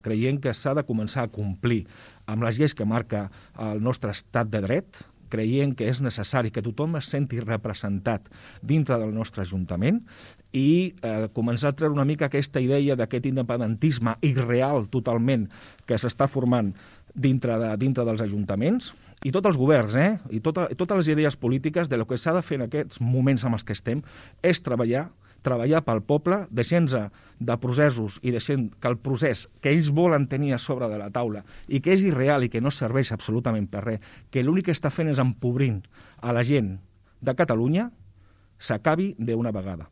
Creiem que s'ha de començar a complir amb les lleis que marca el nostre estat de dret. Creiem que és necessari que tothom es senti representat dintre del nostre Ajuntament i començar a treure una mica aquesta idea d'aquest independentisme irreal totalment que s'està formant dintre dels ajuntaments i tots els governs, i totes les idees polítiques de lo que s'ha de fer en aquests moments en els que estem és treballar pel poble, deixant-se de processos i deixant que el procés que ells volen tenir a sobre de la taula i que és irreal i que no serveix absolutament per res, que l'únic que està fent és empobrint a la gent de Catalunya, s'acabi d'una vegada.